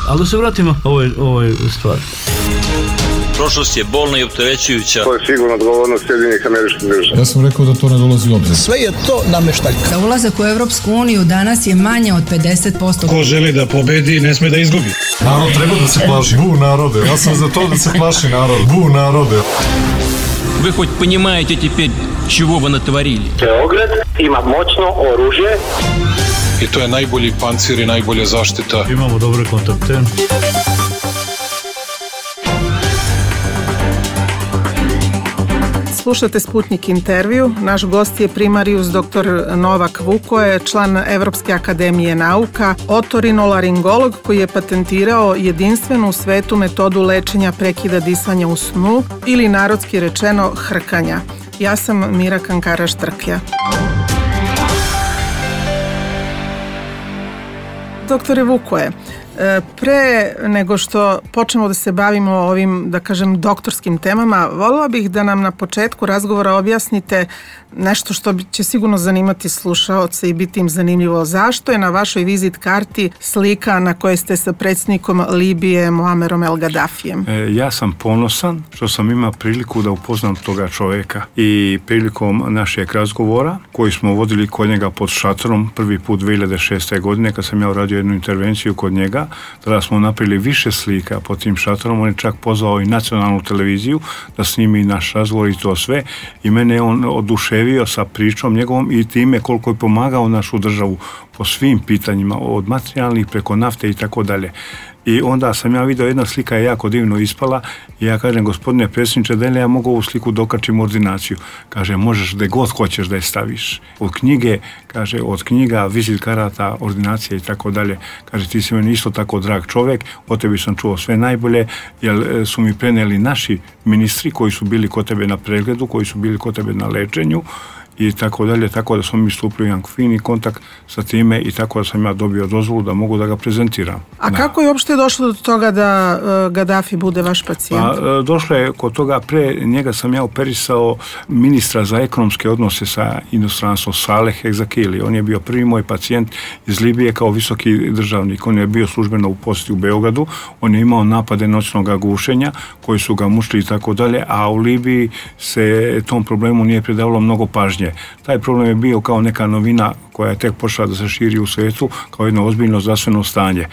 Ali da se vratimo ovoj stvari. Prošlost je bolna i opterećujuća. To je sigurno odgovornost Sjedinjenih Američkih Država. Ja sam rekao da to ne dolazi u obzir. Sve je to nameštaljka. Za ulazak u Evropsku uniju danas je manje od 50%. Ko želi da pobedi, ne sme da izgubi. Narod treba da se plaši. Bu narode. Ja sam za to da se plaši narod. Bu narode. Вы хоть понимаете теперь, чего вы натворили? Beograd ima moćno oružje. I to je najbolji pancir i najbolja zaštita. Imamo dobre kontakte. Slušate Sputnik intervju. Naš gost je primarijus dr. Novak Vukoje, član Evropske akademije nauka, otorinolaringolog koji je patentirao jedinstvenu u svetu metodu lečenja prekida disanja u snu ili narodski rečeno hrkanja. Ja sam Mira Kankara-Štrklja. Doktore Vukoje, pre nego što počnemo da se bavimo ovim, da kažem, doktorskim temama, voljela bih da nam na početku razgovora objasnite nešto što će sigurno zanimati slušaoce i biti im zanimljivo. Zašto je na vašoj vizit karti slika na kojoj ste sa predsjednikom Libije Muammerom El Gaddafijem? Ja sam ponosan što sam imao priliku da upoznam toga čovjeka i prilikom našeg razgovora koji smo vodili kod njega pod šatorom prvi put 2006. godine kad sam ja uradio jednu intervenciju kod njega, tada smo napravili više slika pod tim šatorom. On je čak pozvao i nacionalnu televiziju da snimi naš razgovor i to sve i mene je on oduševio sa pričom njegovom i time koliko je pomagao našu državu po svim pitanjima, od materijalnih preko nafte i tako dalje. I onda sam ja vidio, jedna slika je jako divno ispala i ja kažem, gospodine predsjedniče, da li ja mogu ovu sliku dokačim u ordinaciju? Kaže, možeš gde god hoćeš da je staviš. Od knjige, kaže, od knjiga, vizit karata, ordinacija i tako dalje. Kaže, ti si meni isto tako drag čovjek, o tebi sam čuo sve najbolje, jer su mi prenijeli naši ministri koji su bili kod tebe na pregledu, koji su bili kod tebe na lečenju i tako dalje, tako da smo mi stupili u jedan fini kontakt sa time i tako da sam ja dobio dozvolu da mogu da ga prezentiram. A kako je uopšte došlo do toga da Gaddafi bude vaš pacijent? Pa, došlo je kod toga, pre njega sam ja operisao ministra za ekonomske odnose sa inostranstvom, Saleh Egzakili. On je bio prvi moj pacijent iz Libije kao visoki državnik. On je bio službeno u posjeti u Beogradu, on je imao napade noćnog gušenja koji su ga mučili i tako dalje, a u Libiji se tom problemu nije pridavalo mnogo pažnje. Taj problem je bio kao neka novina koja je tek počela da se širi u svijetu kao jedno ozbiljno zdravstveno stanje.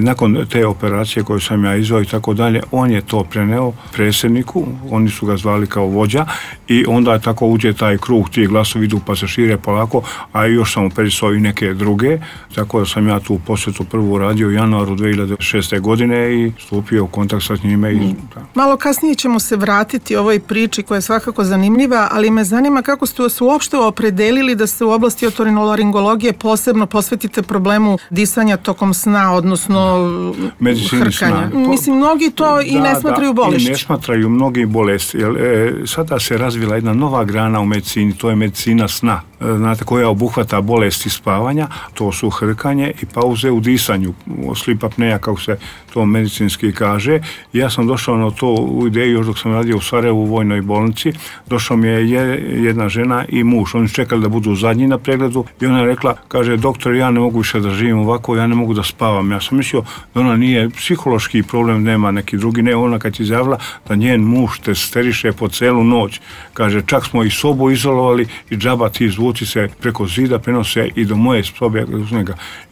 Nakon te operacije koju sam ja izveo i tako dalje, on je to preneo predsjedniku, oni su ga zvali kao vođa i onda je tako uđe taj krug, ti glasovi idu pa se šire polako, a još sam operisao i neke druge, tako da sam ja tu posjetu prvu radio u januaru 2006. godine i stupio u kontakt sa njime. Malo kasnije ćemo se vratiti ovoj priči koja je svakako zanimljiva, ali me zanima kako ste se uopšte opredelili da se u oblasti otorinolaringologije posebno posvetite problemu disanja tokom sna, odnosno hrkanja. Mislim, mnogi to i ne smatraju bolešću. I ne smatraju mnogi bolesti. Sada se razvila jedna nova grana u medicini, to je medicina sna. Znate, koja obuhvata bolesti spavanja, to su hrkanje i pauze u disanju, sleep apnea, kako se to medicinski kaže. Ja sam došao na to u ideju još dok sam radio u Sarajevu u vojnoj bolnici. Došao mi je jedna žena i muž. Oni čekali da budu zadnji na pregledu i ona je rekla, kaže, doktor, ja ne mogu više da živim ovako, ja ne mogu da spavam. Ja sam mislio da ona nije psihološki problem, nema neki drugi, ne, ona kad je izjavila da njen muž te steriše po celu noć. Kaže, čak smo i sobu izolovali i džaba ti zvuci se preko zida prenose i do moje sobe.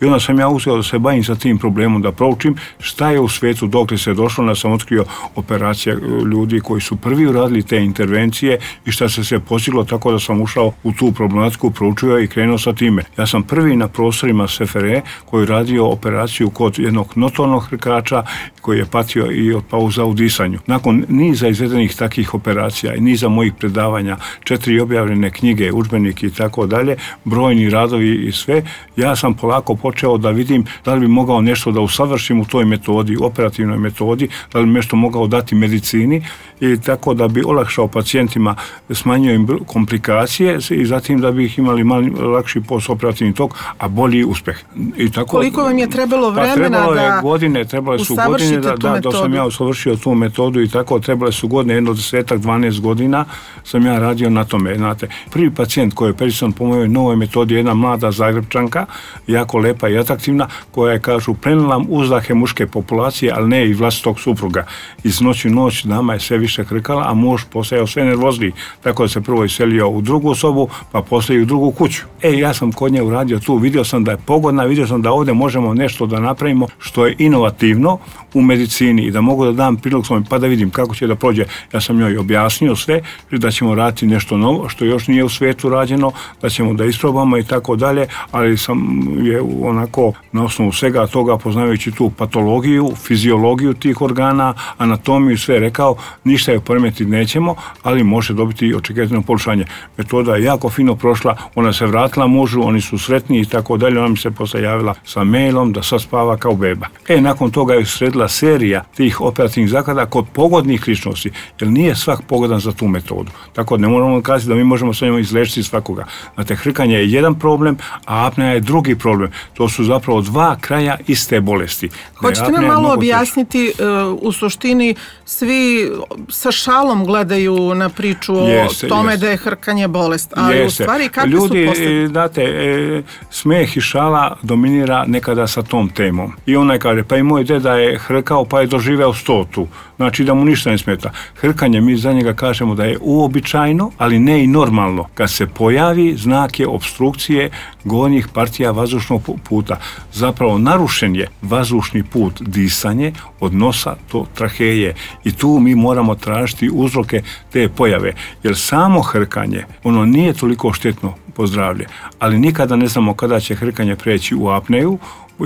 I onda sam ja uzeo da se bavim sa tim problemom, da proučim šta je u svijetu dokle se došlo, da sam otkrio operacija ljudi koji su prvi uradili te intervencije i šta se postiglo, tako da sam ušao u tu problematiku, proučio i krenuo sa time. Ja sam prvi na prostorima SFRE koji radio operaciju kod jednog notornog hrkača koji je patio i od pauza u disanju. Nakon niza izvedenih takih operacija i niza mojih predavanja, 4 objavljene knjige, udžbenike i tako dalje, brojni radovi i sve, ja sam polako počeo da vidim da li bi mogao nešto da usavršim u toj metodi, operativnoj metodi, da li bi nešto mogao dati medicini i tako da bi olakšao pacijentima, smanjio im komplikacije operacije i zatim da bi ih imali lakši postoperativni tok, a bolji uspeh. I tako, koliko vam je trebalo vremena trebale su godine da sam ja usavršio tu metodu i tako, trebale su godine, 10-12 godina sam ja radio na tome. Znate, prvi pacijent koji je operisan po mojoj novoj metodi, jedna mlada Zagrebčanka, jako lepa i atraktivna, koja je, kažu, prenela uzdahe muške populacije, ali ne i vlastitog supruga. Iz noći u noć dama je sve više krkala, a muž postajao sve nervozniji, tako da se prvo iselio u drugu sobu, pa poslije u drugu kuću. Ja sam kod nje uradio tu, vidio sam da je pogodna, vidio sam da ovdje možemo nešto da napravimo što je inovativno u medicini i da mogu da dam prilog svojim, pa da vidim kako će da prođe. Ja sam njoj objasnio sve, da ćemo raditi nešto novo, što još nije u svijetu rađeno, da ćemo da isprobamo i tako dalje, ali sam je onako na osnovu svega toga, poznavajući tu patologiju, fiziologiju tih organa, anatomiju, sve rekao, ništa je poremetiti nećemo, ali može dobiti očekivano poboljšanje. Metoda je jako fino prošla, ona se vratila mužu, oni su sretni i tako dalje, ona mi se posle javila sa mailom da sad spava kao beba. Nakon toga je sredila serija tih operativnih zahvata kod pogodnih ličnosti, jer nije svak pogodan za tu metodu. Tako da ne moramo kazati da mi možemo sa njom izlečiti svakoga. Znate, hrkanje je jedan problem, a apnea je drugi problem. To su zapravo dva kraja iste bolesti. Hoćete nam malo objasniti, u suštini svi sa šalom gledaju na priču o tome da je hrkanje bolest, ali u stvari kakve su posljedice? Znate, smeh i šala dominira nekada sa tom temom. I onaj kaže, pa i moj deda je hrkao pa je doživeo 100. Znači da mu ništa ne smeta. Hrkanje, mi za njega kažemo da je uobičajno, ali ne i normalno. Kad se pojavi, znak je opstrukcije gornjih partija vazdušnog puta. Zapravo narušen je vazdušni put, disanje od nosa do traheje. I tu mi moramo tražiti uzroke te pojave. Jer samo hrkanje, ono nije toliko štetno po zdravlje, ali nikada ne znamo kada će hrkanje preći u apneju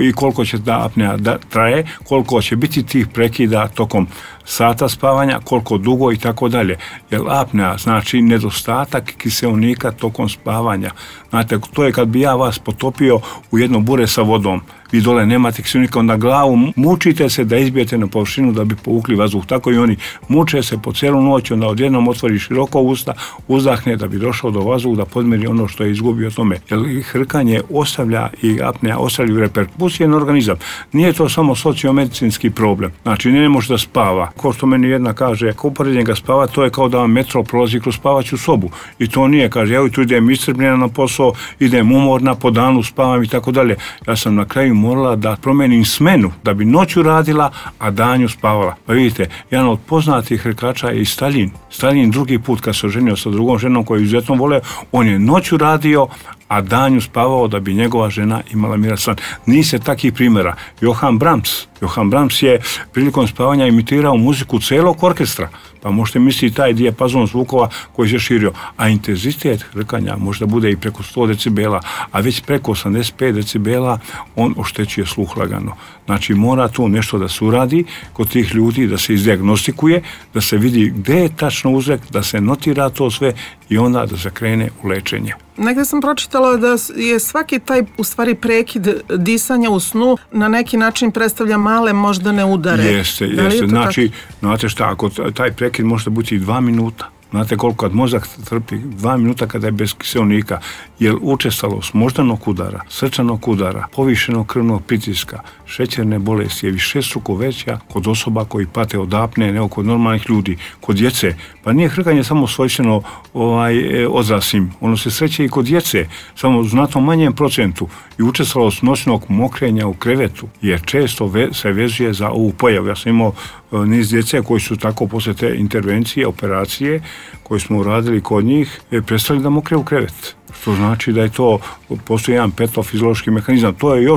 i koliko će ta apnea traje, koliko će biti tih prekida tokom sata spavanja, koliko dugo i tako dalje. Jer apnea znači nedostatak kiseonika tokom spavanja. Znate, to je kad bi ja vas potopio u jedno bure sa vodom. Vi dole nemate kiseonika, onda glavu mučite se da izbijete na površinu da bi povukli vazduh. Tako i oni muče se po cijelu noć, onda odjednom otvori široko usta, uzdahne da bi došao do vazduha, da podmiri ono što je izgubio tome. Jer hrkanje ostavlja i apnea ostavljaju reperkusije na organizam. Nije to samo sociomedicinski problem. Znači, ne može da spava. Ko što meni jedna kaže, ako uporedim ga spava, to je kao da vam metro prolazi kroz spavaću sobu. I to nije, kaže, ja tu idem iscrpljena na posao, idem umorna, po danu spavam i tako dalje. Ja sam na kraju morala da promenim smenu, da bi noću radila, a danju spavala. Pa vidite, jedan od poznatih hrkača je i Staljin. Staljin drugi put kad se oženio sa drugom ženom koju izuzetno vole, on je noću radio, a danju spavao da bi njegova žena imala miran san. Nije takih primjera. Johann Brahms je prilikom spavanja imitirao muziku celog orkestra. Pa možete misliti taj dijapazon zvukova koji se širio. A intenzitet hrkanja možda bude i preko 100 decibela, a već preko 85 decibela on oštećuje sluh lagano. Znači mora tu nešto da se uradi kod tih ljudi, da se izdiagnostikuje, da se vidi gde je tačno uzrok, da se notira to sve i onda da se krene u lečenje. Negde sam pročitala da je svaki taj u stvari prekid disanja u snu na neki način predstavlja male moždane udare. Jeste. Znači, znate šta, ako taj prekid može biti i 2 minuta. Znate koliko kad mozak trpi 2 minuta kada je bez kiseonika, jer učestalost moždanog udara, srčanog udara, povišenog krvnog pritiska, šećerne bolesti je višestruko veća kod osoba koji pate od apnee nego kod normalnih ljudi, kod djece. Pa nije hrkanje samo svojstveno odraslim, ono se sreće i kod djece, samo u znatno manjem procentu. I učestalost noćnog mokrenja u krevetu je često se vezuje za ovu pojavu. Ja sam imao niz djece koji su tako posle te intervencije, operacije koje smo uradili kod njih, prestali da mokre u krevet. Što znači da je to, postoji jedan patofiziološki mehanizam. To je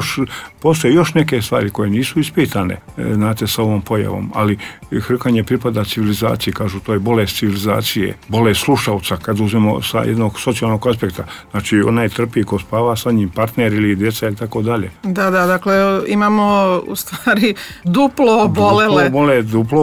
postoje još neke stvari koje nisu ispitane, znate, sa ovom pojavom, ali hrkanje pripada civilizaciji, kažu, to je bolest civilizacije, bolest slušalca, kad uzmemo sa jednog socijalnog aspekta. Znači, onaj trpi ko spava sa njim, partner ili djeca ili tako dalje. Da, dakle, imamo u stvari duplo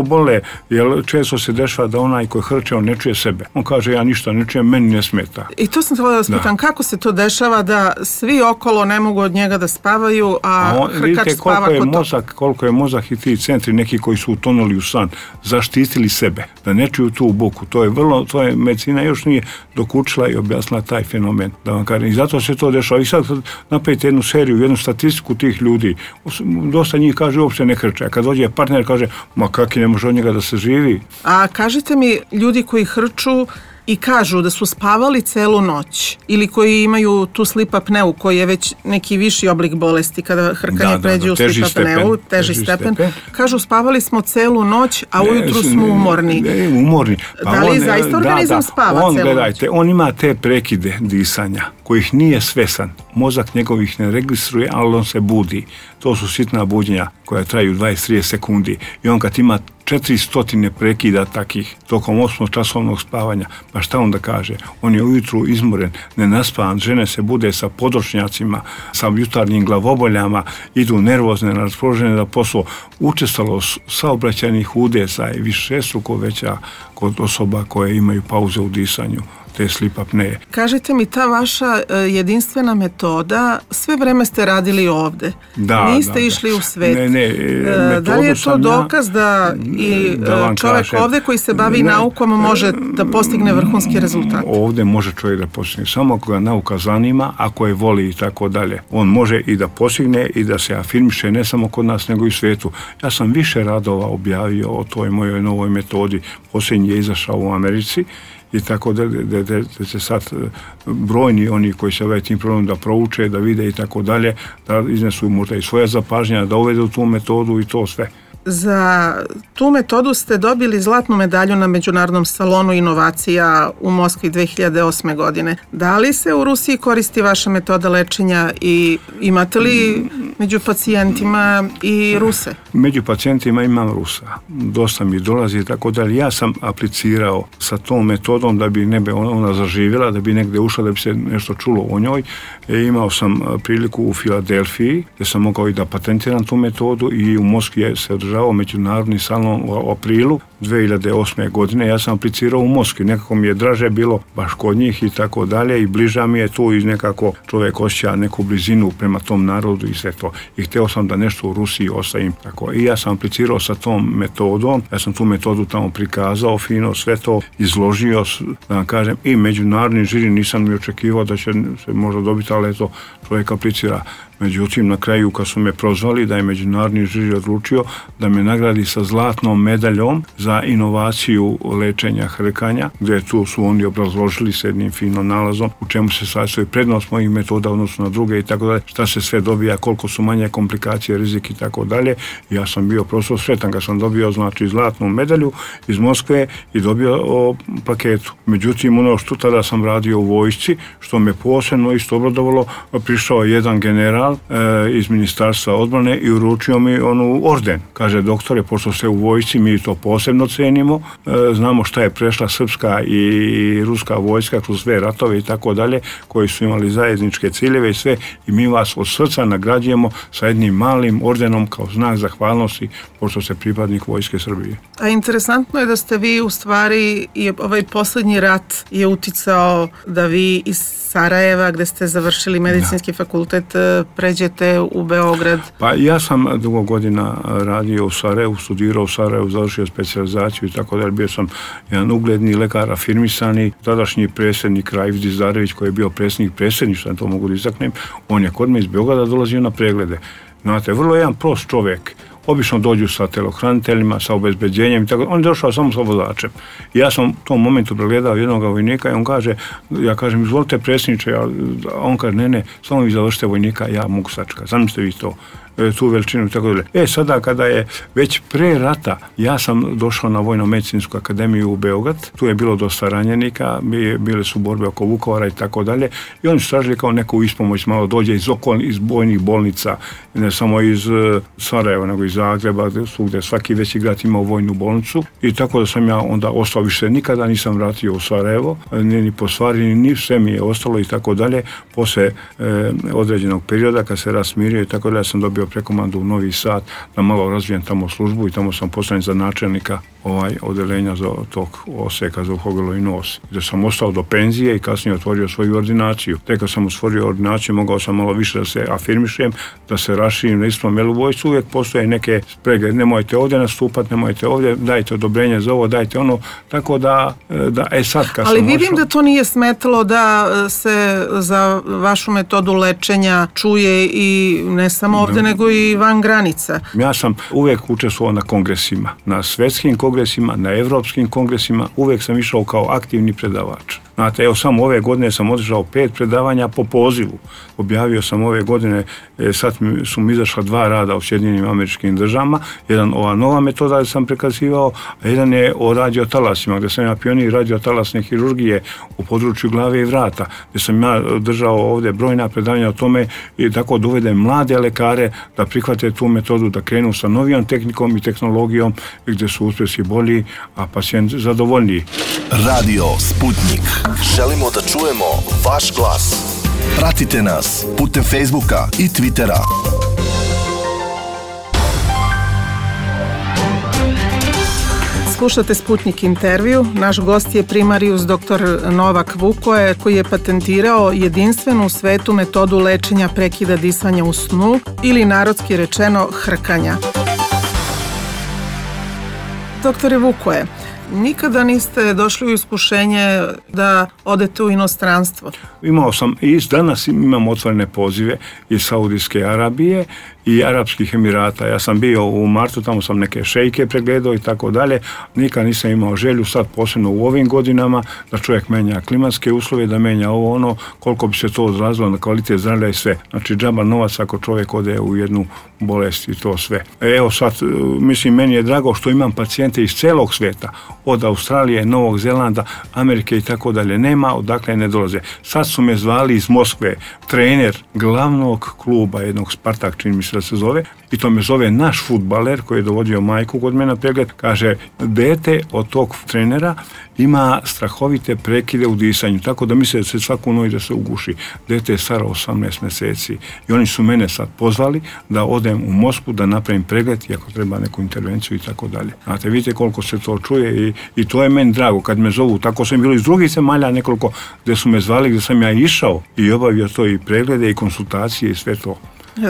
bole, jer često se dešava da onaj koji hrče, on ne čuje sebe. On kaže, ja ništa ne čujem, meni ne smeta. I to sam htjela da vas pitam kako se to dešava da svi okolo ne mogu od njega da spavaju, a hrkač spava kod toga. Koliko je mozak i ti centri, neki koji su utonuli u san, zaštitili sebe, da ne čuju tu buku. To je medicina još nije dokučila i objasnila taj fenomen. Da vam kažem. I zato se to dešava. I sad napravite jednu seriju, jednu statistiku tih ljudi. Dosta njih kaže uopšte ne hrče. A kad dođe partner kaže, ma kaki, ne može od njega da se živi. A kažite mi, ljudi koji hrču i kažu da su spavali celu noć ili koji imaju tu sleep apneu, koji je već neki viši oblik bolesti kada hrkanje pređe u sleep apneu, teži stepen, kažu spavali smo celu noć, a ujutru smo umorni. Umorni. Pa da li zaista organizam spava celu noć? Gledajte, on ima te prekide disanja kojih nije svesan. Mozak njegovih ne registruje, ali on se budi. To su sitna buđenja koja traju 20-30 sekundi. I on kad ima 400 prekida takih tokom 8-časovnog spavanja, pa šta on da kaže? On je ujutru izmoren, nenaspavan, žene se bude sa područnjacima, sa jutarnjim glavoboljama, idu nervozne, raspoložene da posao. Učestalost saobraćajnih udesa je višestruko veća kod osoba koje imaju pauze u disanju, te sleep apneje. Kažite mi, ta vaša jedinstvena metoda, sve vreme ste radili ovde. Niste išli u svet. Da li je to dokaz da i čovjek ovde koji se bavi naukom može da postigne vrhunski rezultat? Ovde može čovjek da postigne. Samo ako ga nauka zanima, ako je voli i tako dalje. On može i da postigne i da se afirmiše ne samo kod nas, nego i u svijetu. Ja sam više radova objavio o toj mojoj novoj metodi. Posljednji je izašao u Americi i tako da će sad brojni oni koji se ovaj tim problem da prouče, da vide i tako dalje, da iznesu možda i svoja zapažnja, da uvedu tu metodu i to sve. Za tu metodu ste dobili zlatnu medalju na Međunarodnom salonu inovacija u Moskvi 2008. godine. Da li se u Rusiji koristi vaša metoda lečenja i imate li među pacijentima i Ruse? Među pacijentima imam Rusa. Dosta mi dolazi i tako dalje. Ja sam aplicirao sa tom metodom da bi ona zaživjela, da bi negdje ušla, da bi se nešto čulo o njoj. Imao sam priliku u Filadelfiji gdje sam mogao i da patentiram tu metodu i u Moskvi se održavao Međunarodni salon u aprilu 2008. godine. Ja sam aplicirao u Moskvi. Nekako mi je draže bilo baš kod njih i tako dalje i bliža mi je tu i nekako čovjek osjeća neku blizinu prema tom narodu i sve to. I htio sam da nešto u Rusiji ostavim tako. I ja sam aplicirao sa tom metodom. Ja sam tu metodu tamo prikazao fino, sve to izložio, da vam kažem, i međunarodni žiri nisam ni očekivao da će se možda dobiti, ali eto, čovjek aplicira. Međutim, na kraju kad su me prozvali da je međunarodni žiri odlučio da me nagradi sa zlatnom medaljom za inovaciju lečenja hrkanja, gdje tu su oni obrazložili s jednim finom nalazom u čemu se sastoji prednost mojih metoda odnosno na druge i tako dalje, šta se sve dobija, koliko su manje komplikacije, rizik i tako dalje. Ja sam bio prosto sretan kad sam dobio znači zlatnu medalju iz Moskve i dobio plaketu. Međutim, ono što tada sam radio u vojsci, što me posebno isto obradovalo, prišao jedan general iz Ministarstva odbrane i uručio mi orden. Kaže, doktore, pošto ste u vojsci, mi to posebno cenimo, znamo šta je prešla srpska i ruska vojska kroz sve ratove i tako dalje, koji su imali zajedničke ciljeve i sve, i mi vas od srca nagrađujemo sa jednim malim ordenom kao znak zahvalnosti, pošto ste pripadnik Vojske Srbije. A interesantno je da ste vi u stvari, i ovaj posljednji rat je uticao da vi iz Sarajeva, gde ste završili medicinski fakultet, pređete u Beograd. Pa ja sam dugo godina radio u Sarajevu, studirao u Sarajevu, završio specijalizaciju i tako dalje. Bio sam jedan ugledni lekar, afirmisani, tadašnji predsjednik Raif Dizdarević, koji je bio predsjednik predsjedništva, to mogu da istaknem, on je kod me iz Beograda dolazio na preglede. Znate, vrlo jedan prost čovjek. Obično dođu sa telohraniteljima, sa obezbeđenjem i tako. On je došao samo sa vozačem. Ja sam u tom momentu pregledao jednog vojnika i on kaže, ja kažem, izvolite predsjedniče, a on kaže, ne, samo vi završite vojnika, ja mogu sačekati. Zamislite vi to, tu veličinu i tako dalje. Sada kada je već pre rata, ja sam došao na Vojno-medicinsku akademiju u Beograd, tu je bilo dosta ranjenika, bile su borbe oko Vukovara i tako dalje, i oni su tražili kao neku ispomoć, malo dođe iz bojnih bolnica, ne samo iz Sarajeva, nego iz Zagreba, gdje svaki veći grad imao vojnu bolnicu, i tako da sam ja onda ostao, više nikada nisam vratio u Sarajevo, ni po stvari, ni sve mi je ostalo i tako dalje. Posle određenog perioda, kad se rasmirio i tako dalje, sam dobio prekomandu u Novi Sad, da malo razvijem tamo službu i tamo sam postavljen za načelnika odeljenja za tog oseka za uho, grlo i nos. Gdje sam ostao do penzije i kasnije otvorio svoju ordinaciju. Tek kad sam otvorio ordinaciju, mogao sam malo više da se afirmišem, da se raširim na istom, jer u vojsci uvijek postoje neke sprege, nemojte ovdje nastupati, nemojte ovdje, dajte odobrenje za ovo, dajte ono, tako da sad kad ali sam vidim ošao, da to nije smetalo da se za vašu metodu lečenja čuje i ne samo ovdje, nego i van granica. Ja sam uvijek učestvovao na kongresima, na svjetskim kongresima, na evropskim kongresima, uvijek sam išao kao aktivni predavač. Znate, evo samo ove godine sam održao 5 predavanja po pozivu. Objavio sam ove godine, sad su mi izašla 2 rada u Sjedinjenim Američkim Državama, jedan ova nova metoda sam prikazivao, a jedan je o radiotalasima, gdje sam ja pionir radiotalasne hirurgije u području glave i vrata, gdje sam ja držao ovdje brojna predavanja o tome i tako da uvedem mlade lekare da prihvate tu metodu, da krenu sa novijom tehnikom i tehnologijom gdje su uspjesi bolji, a pacijent zadovoljniji. Radio Sputnik. Želimo da čujemo vaš glas. Pratite nas putem Facebooka i Twittera. Slušate Sputnik intervju. Naš gost je primarijus dr. Novak Vukoje, koji je patentirao jedinstvenu u svetu metodu lečenja prekida disanja u snu ili narodski rečeno hrkanja. Doktore Vukoje, nikada niste došli u iskušenje da odete u inostranstvo? Imao sam, i danas imam otvorene pozive iz Saudijske Arabije i Arapskih Emirata. Ja sam bio u martu, tamo sam neke šejke pregledao i tako dalje. Nikad nisam imao želju, sad posebno u ovim godinama, da čovjek menja klimatske uslove, da menja ovo ono, koliko bi se to odrazilo na kvalitet zdravlja i sve. Znači, džaba novac ako čovjek ode u jednu bolest i to sve. Evo sad, mislim, meni je drago što imam pacijente iz celog svijeta, od Australije, Novog Zelanda, Amerike i tako dalje. Nema, odakle ne dolaze. Sad su me zvali iz Moskve, trener glavnog kluba, jednog Spartak, čini mi se da se zove, i to me zove naš fudbaler koji je dovodio majku kod mene na pregled, kaže, dete od tog trenera ima strahovite prekide u disanju, tako da misle da se svaku noć da se uguši. Dete je staro 18 mjeseci i oni su mene sad pozvali da odem u Moskvu da napravim pregled i ako treba neku intervenciju i tako dalje. Znate, vidite koliko se to čuje i to je meni drago kad me zovu. Tako sam bilo iz drugih zemalja nekoliko gdje su me zvali, gdje sam ja išao i obavio to i preglede i konsultacije i sve to.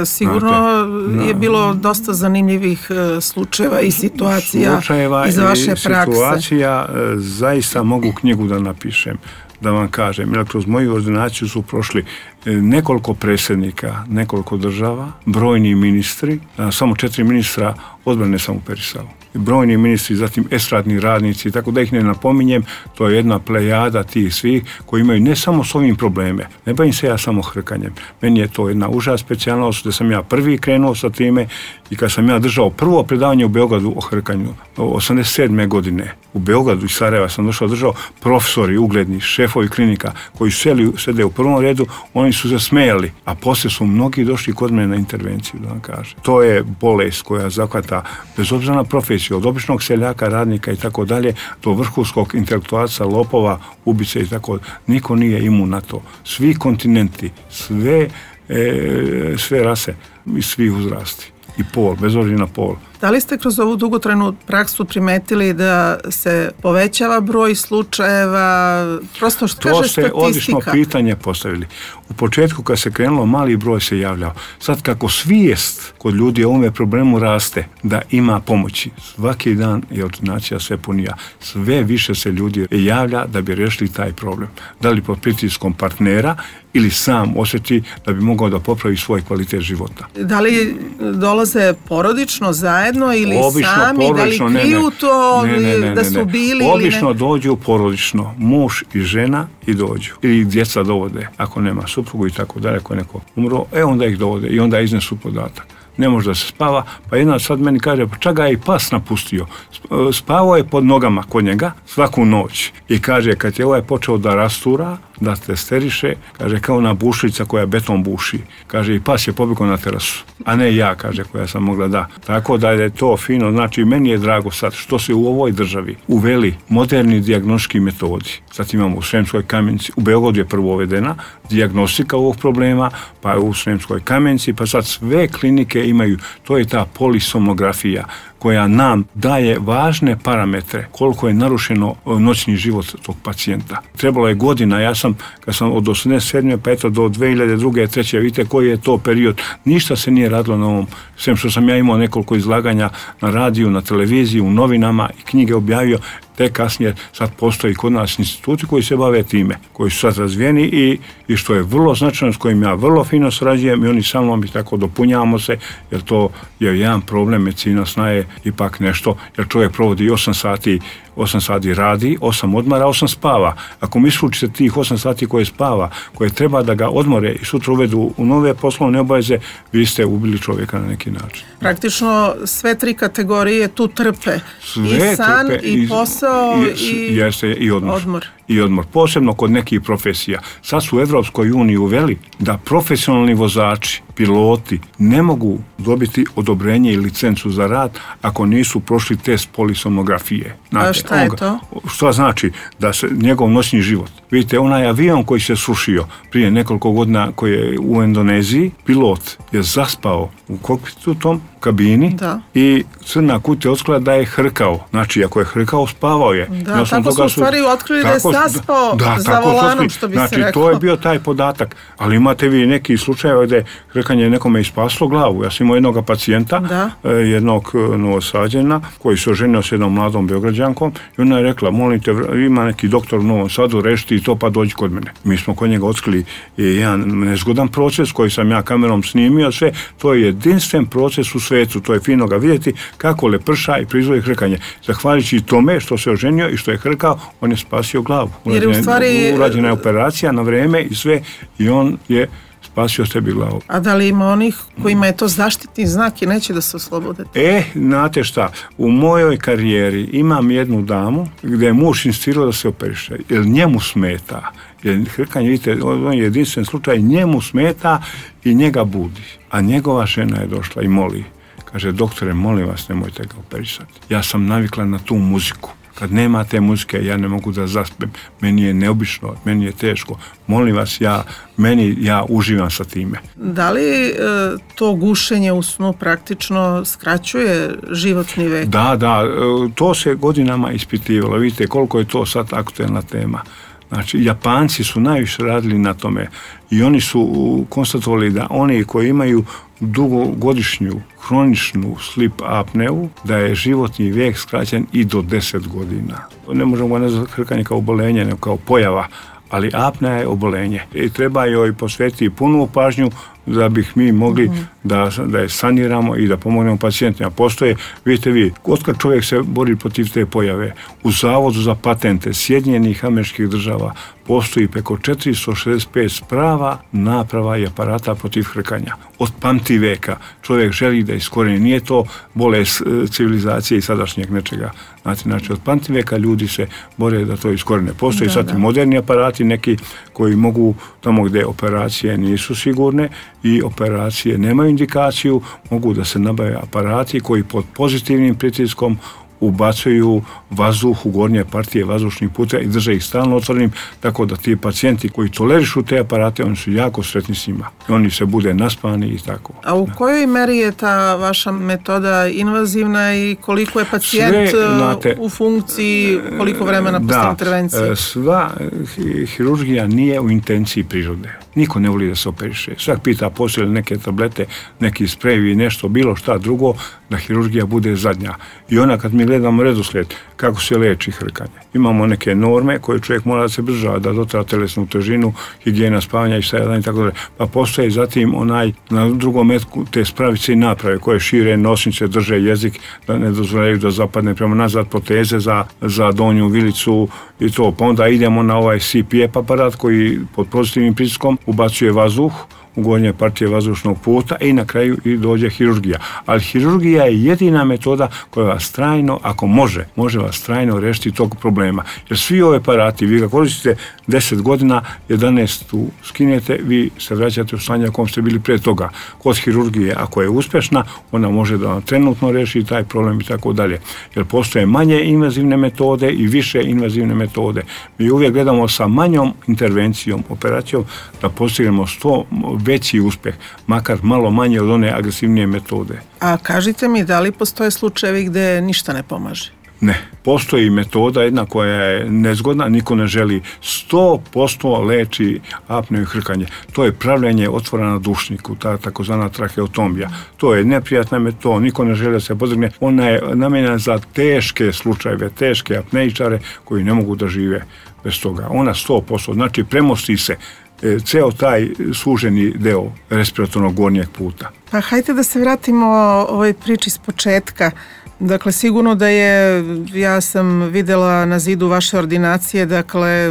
Sigurno je bilo dosta zanimljivih slučajeva i situacija iz vaše prakse. Situacija, zaista mogu knjigu da napišem, da vam kažem, jer kroz moju ordinaciju su prošli nekoliko predsjednika, nekoliko država, brojni ministri, samo 4 ministra odbrane sam uperisao. Brojni ministri, zatim estradni radnici, tako da ih ne napominjem, to je jedna plejada tih svih koji imaju ne samo s ovim probleme, ne bavim se ja samo hrkanjem. Meni je to jedna uža specijalnost da sam ja prvi krenuo sa time i kad sam ja držao prvo predavanje u Beogradu o hrkanju, 87. godine, u Beogradu i Sarajeva sam držao profesori, ugledni, šefovi klinika koji sede u prvom redu, oni su se smejali, a poslije su mnogi došli kod mene na intervenciju, da vam kažem. To je bolest koja zahvata bez obzira na profesiju, od običnog seljaka, radnika i tako dalje, do vrhunskog intelektualca, lopova, ubice i tako. Niko nije imun na to. Svi kontinenti, sve rase i svi uzrasti. I pol, bez obzira na pol. Da li ste kroz ovu dugotrajnu praksu primetili da se povećava broj slučajeva? Prosto što kaže statistika. To ste odlično pitanje postavili. U početku kad se krenulo, mali broj se javljao. Sad kako svijest kod ljudi o ovome problemu raste, da ima pomoći. Svaki dan je ordinacija sve punija. Sve više se ljudi javlja da bi riješili taj problem. Da li pod pritiskom partnera ili sam osjeti da bi mogao da popravi svoj kvalitet života. Da li dolaze porodično zajedno ili obično, sami, porodično, da li kriju to da su bili obično ili ne? Dođu porodično, muž i žena i dođu. Ili djeca dovode, ako nema suprugu i tako dalje, ako je neko umro, onda ih dovode i onda iznesu podatak. Ne može da se spava, pa jedna sad meni kaže, pa čak ga je i pas napustio. Spavao je pod nogama kod njega svaku noć. I kaže, kad je ovaj počeo da rastura, da testeriše, kaže, kao ona bušlica koja beton buši. Kaže, i pas je pobjegao na terasu, a ne ja, kaže, koja sam mogla da. Tako da je to fino, znači meni je drago sad što se u ovoj državi uveli moderni dijagnostički metodi. Sad imamo u Sremskoj Kamenici, u Beogradu je prvo uvedena dijagnostika ovog problema, pa je u Sremskoj Kamenici, pa sad sve klinike imaju, to je ta polisomnografija koja nam daje važne parametre koliko je narušeno noćni život tog pacijenta. Trebalo je godina, ja sam, kad sam od 87. pa eto do 2002. 2003. vidite koji je to period, ništa se nije radilo na ovom, sem što sam ja imao nekoliko izlaganja na radiju, na televiziji, u novinama i knjige objavio, te kasnije sad postoji kod nas instituti koji se bave time, koji su sad razvijeni i što je vrlo značajno, s kojim ja vrlo fino srađujem i oni sa mnom i tako dopunjavamo se, jer to je jedan problem, medicina sna je ipak nešto, jer čovjek provodi 8 sati radi, 8 odmara, 8 spava. Ako mi isključite tih 8 sati koje spava, koje treba da ga odmore i sutra uvedu u nove poslovne obaveze, vi ste ubili čovjeka na neki način. Praktično sve tri kategorije tu trpe. Sve i san, trpe, i posao, i odmor. Posebno kod nekih profesija. Sad su u Evropskoj uniji uveli da profesionalni vozači, piloti, ne mogu dobiti odobrenje i licencu za rad ako nisu prošli test polisomnografije. A šta je to? Što znači? Da se njegov noćni život. Vidite, onaj avion koji se srušio prije nekoliko godina, koji je u Indoneziji, pilot je zaspao u kokpitu tom kabini i crna kutija otkrila da je hrkao. Znači, ako je hrkao, spavao je. Da, tako su u stvari otkrili da je saspao za volanom, što bi se rekao. Znači, to je bio taj podatak. Ali imate vi neki slučajeva gdje hrkanje nekome ispaslo glavu. Ja sam imao jednog pacijenta, jednog Novosađena, koji se oženio s jednom mladom Beograđankom i ona je rekla, molim te, ima neki doktor u Novom Sadu, rešiti to pa dođi kod mene. Mi smo kod njega otkrili jedan nezgodan proces koji sam ja kamerom snimio sve. To je jedinstven proces u svetu, to je fino ga vidjeti kako leprša i proizvodi hrkanje. Zahvaljujući tome što se oženio i što je hrkao, on je spasio glavu. Urađena je operacija na vreme i sve i on je spasio sebi glavu. A da li ima onih kojima je to zaštitni znak i neće da se oslobode? Znate šta, u mojoj karijeri imam jednu damu gdje je muž insistirao da se operiše, jer njemu smeta. Jer hrkanje, vidite, on je jedinstven slučaj, njemu smeta i njega budi. A njegova žena je došla i moli. Kaže, doktore, molim vas, nemojte ga operisati. Ja sam navikla na tu muziku. Kad nema te muzike, ja ne mogu da zaspem. Meni je neobično, meni je teško. Molim vas, ja uživam sa time. Da li to gušenje u snu praktično skraćuje životni vek? Da, to se godinama ispitivalo. Vidite koliko je to sad aktuelna tema. Znači, Japanci su najviše radili na tome i oni su konstatovali da oni koji imaju dugogodišnju hroničnu sleep apneu, da je životni vijek skraćen i do 10 godina. Ne možemo nazvati hrkanje kao obolenje, nego kao pojava, ali apnea je obolenje i treba joj posvetiti punu pažnju da bih mi mogli da je saniramo i da pomognemo pacijentima. Postoje, vidite vi, otkad čovjek se bori protiv te pojave, u Zavodu za patente Sjedinjenih Američkih Država postoji preko 465 sprava, naprava i aparata protiv hrkanja. Od pamti veka čovjek želi da iskoreni. Nije to bolest civilizacije i sadašnjeg nečega. Znači, od pamti veka ljudi se bore da to iskorene. Postoji sad i moderni aparati neki koji mogu, tamo gdje operacije nisu sigurne i operacije nemaju indikaciju, mogu da se nabave aparati koji pod pozitivnim pritiskom ubacuju vazduh u gornje partije vazdušnih puteva i drže ih stalno otvorenim, tako da ti pacijenti koji tolerišu te aparate, oni su jako sretni s njima. Oni se bude naspani i tako. A u kojoj meri je ta vaša metoda invazivna i koliko je pacijent u funkciji, koliko vremena posle intervencije? Sva hirurgija nije u intenciji prirode. Niko ne voli da se operiše. Svak pita postoje li neke tablete, neki sprejevi, nešto, bilo šta drugo, da hirurgija bude zadnja. I ona kad mi gledamo redoslijed kako se leči hrkanje. Imamo neke norme koje čovjek mora da se država, da dotra telesnu težinu, higijena spavanja i stajadanja i tako dalje. Pa postoje zatim na drugom metku te spravice i naprave koje šire nosnice, drže jezik, da ne dozvoljaju da zapadne prema nazad, proteze za donju vilicu i to. Pa onda idemo na ovaj CPAP aparat koji pod pozitivnim pritiskom ubacuje vazduh u gornje partije vazdušnog puta i na kraju i dođe hirurgija. Ali hirurgija je jedina metoda koja vas trajno, ako može vas trajno rešiti tog problema. Jer svi ove aparati, vi ga koristite 10 godina, 11 skinete, vi se vraćate u stanje u kom ste bili prije toga. Kod hirurgije, ako je uspešna, ona može da vam trenutno reši taj problem i tako dalje. Jer postoje manje invazivne metode i više invazivne metode. Mi uvijek gledamo sa manjom intervencijom, operacijom, da postignemo 100 veći uspjeh, makar malo manje od one agresivnije metode. A kažite mi, da li postoje slučajevi gdje ništa ne pomaže? Ne. Postoji metoda jedna koja je nezgodna, niko ne želi. 100% leči apneu i hrkanje. To je pravljenje otvora na dušniku, ta takozvana traheotomija. To je neprijatna metoda, niko ne želi da se podvrgne. Ona je namijenjena za teške slučajeve, teške apneičare koji ne mogu da žive bez toga. Ona 100%, znači premosti se ceo taj suženi deo respiratornog gornjeg puta. Pa hajde da se vratimo ovoj priči s početka. Dakle, sigurno da je, ja sam vidjela na zidu vaše ordinacije, dakle,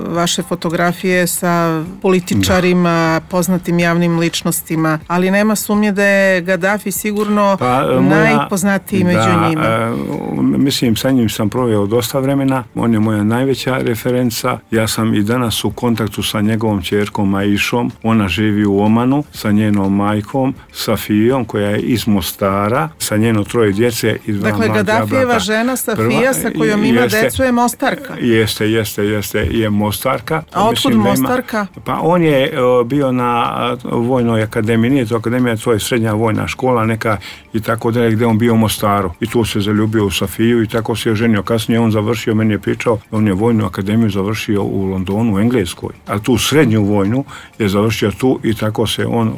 vaše fotografije sa političarima, poznatim javnim ličnostima, ali nema sumnje da je Gaddafi sigurno najpoznatiji među njima. Mislim, sa njim sam proveo dosta vremena, on je moja najveća referenca, ja sam i danas u kontaktu sa njegovom ćerkom Aišom, ona živi u Omanu, sa njenom majkom, Safijom, koja je iz Mostara, sa njeno 3 djece. Dakle, Gaddafijeva žena Safija sa kojom ima decu je Mostarka. Jeste, je Mostarka. A otkud Mostarka? Pa on je bio na vojnoj akademiji, nije to akademija, to je srednja vojna škola neka i tako dalje, gdje on bio u Mostaru. I tu se zaljubio u Safiju i tako se je ženio. Kasnije on završio, meni je pričao, on je vojnu akademiju završio u Londonu, u Engleskoj. A tu srednju vojnu je završio tu i tako se on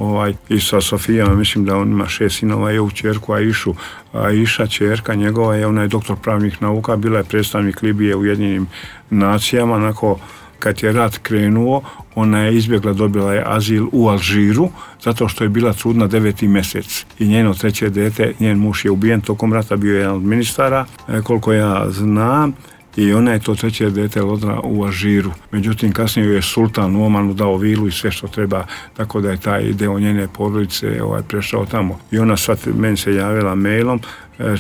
i sa Safijama, mislim da on ima 6 sinova, je u ćerku Aišu. Aiša, ćerka njegova, ona je doktor pravnih nauka, bila je predstavnik Libije u Ujedinjenim nacijama. Onako, kad je rat krenuo, ona je izbjegla, dobila je azil u Alžiru, zato što je bila trudna 9. mjesec. I njeno 3. dete, njen muž je ubijen tokom rata, bio je jedan od ministara, koliko ja znam. I ona je to 3. dete rodila u Alžiru. Međutim, kasnije je sultan u Omanu dao vilu i sve što treba, tako da je taj deo njene porodice prešao tamo. I ona sad meni se javila mailom,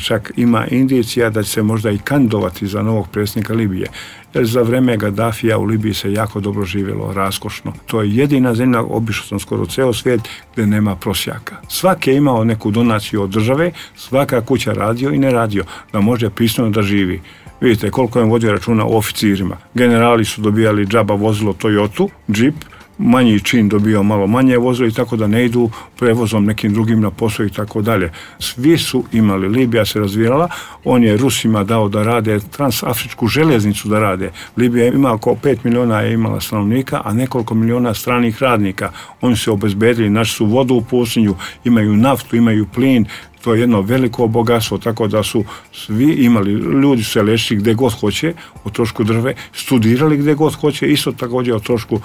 čak ima indicija da će se možda i kandidovati za novog predsjednika Libije. Jer za vreme Gaddafija u Libiji se jako dobro živjelo, raskošno. To je jedina zemlja, obišao sam skoro ceo svijet, gdje nema prosjaka. Svaki je imao neku donaciju od države, svaka kuća radio i ne radio, da može pristojno da živi. Vidite koliko je vodio računa o oficirima. Generali su dobijali džaba vozilo Toyotu, džip, manji čin dobio malo manje vozilo i tako da ne idu prevozom nekim drugim na posao i tako dalje. Svi su imali, Libija se razvijala, on je Rusima dao da rade transafričku željeznicu da rade. Libija ima oko 5 miliona je imala stanovnika, a nekoliko miliona stranih radnika. Oni se obezbedili, našli su vodu u pustinju, imaju naftu, imaju plin, to je jedno veliko bogatstvo, tako da su svi imali, ljudi se lečili gdje god hoće, o trošku države, studirali gdje god hoće, isto također o trošku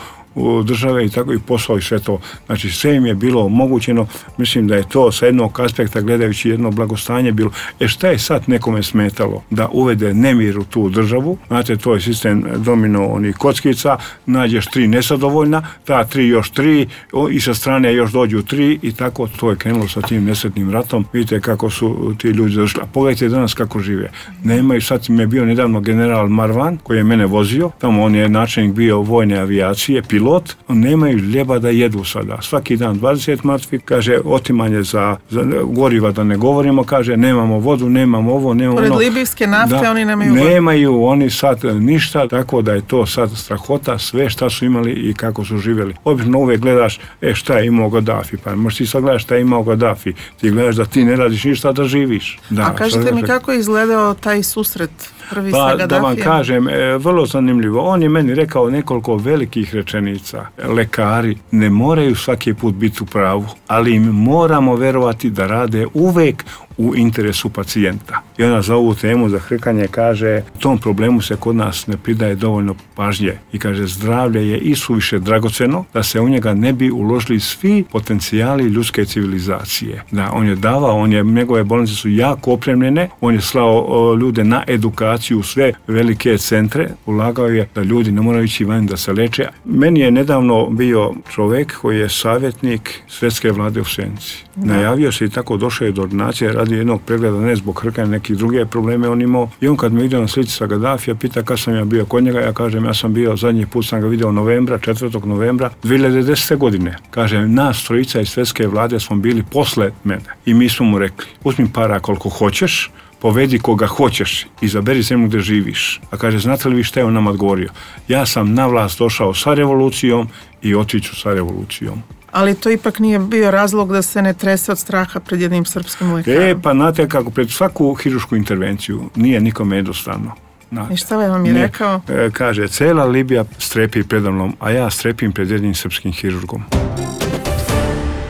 države i tako i posao i sve to. Znači sve im je bilo omogućeno, mislim da je to sa jednog aspekta gledajući jedno blagostanje bilo. Šta je sad nekome smetalo da uvede nemir u tu državu? Znate, to je sistem domino onih kockica, nađeš 3 nesadovoljna, ta 3 još 3 i sa strane još dođu 3 i tako to je krenulo sa tim nesretnim ratom. Vidite kako su ti ljudi završili. A pogledajte danas kako žive. Nemaju, sad mi je bio nedavno general Marwan koji je mene vozio, tamo on je načelnik bio vojne avijacije, pilot, nemaju ljeba da jedu sada. Svaki dan 20 mrtvi, kaže otimanje za goriva da ne govorimo, kaže nemamo vodu, nemamo ovo, nemamo pored libijske nafte oni nemaju vodu. Nemaju oni sad ništa, tako da je to sad strahota, sve šta su imali i kako su živjeli. Obično uvijek gledaš, šta je imao Gaddafi, pa možeš ti sad gledaš šta je imao Gaddafi, ti gledaš da ti ne radiš ništa da živiš. Da, a kažete mi kako je izgledao taj susret prvi sa Gaddafijem? Da vam kažem, vrlo zanimljivo. On je meni rekao nekoliko velikih rečenica. Lekari ne moraju svaki put biti u pravu, ali im moramo verovati da rade uvek u interesu pacijenta. I ona za ovu temu za hrkanje kaže, tom problemu se kod nas ne pridaje dovoljno pažnje i kaže, zdravlje je isuviše dragoceno da se u njega ne bi uložili svi potencijali ljudske civilizacije. Da, on je davao, njegove bolnice su jako opremljene, on je slao ljude na edukaciju u sve velike centre, ulagao je da ljudi ne moraju ići van da se leče. Meni je nedavno bio čovjek koji je savjetnik Svjetske vlade u Senci. Najavio se i tako došao je do ordinacije, radi jednog pregleda, ne zbog hrkanja, nekih druge probleme on imao. I on kad me vidio na slici sa Gaddafija, pita kad sam ja bio kod njega, ja kažem ja sam bio, zadnji put sam ga vidio 4. novembra 2010. godine. Kažem, nas trojica iz Svjetske vlade smo bili posle mene i mi smo mu rekli, uzmi para koliko hoćeš, povedi koga hoćeš, izaberi zemlju gdje živiš. A kaže, znate li vi šta je on nam odgovorio? Ja sam na vlast došao sa revolucijom i otiću sa revolucijom. Ali to ipak nije bio razlog da se ne trese od straha pred jednim srpskim lekarom. Pa znate kako, pred svaku hirušku intervenciju nije nikome jednostavno. I šta vam je rekao? Kaže, cela Libija strepi predamnom, a ja strepim pred jednim srpskim hirurgom.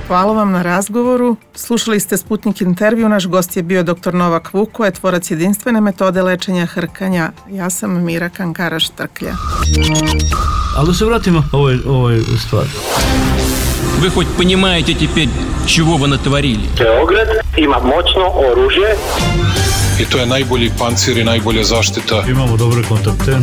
Hvala vam na razgovoru. Slušali ste Sputnik intervju. Naš gost je bio dr. Novak Vukoje, tvorac jedinstvene metode lečenja hrkanja. Ja sam Mira Kankara-Štrklja. Ali da se vratimo ovoj stvari. Вы хоть понимаете теперь, чего вы натворили? Beograd ima moćno oružje. I to je najbolji pancir i najbolja zaštita. Imamo dobre kontakte.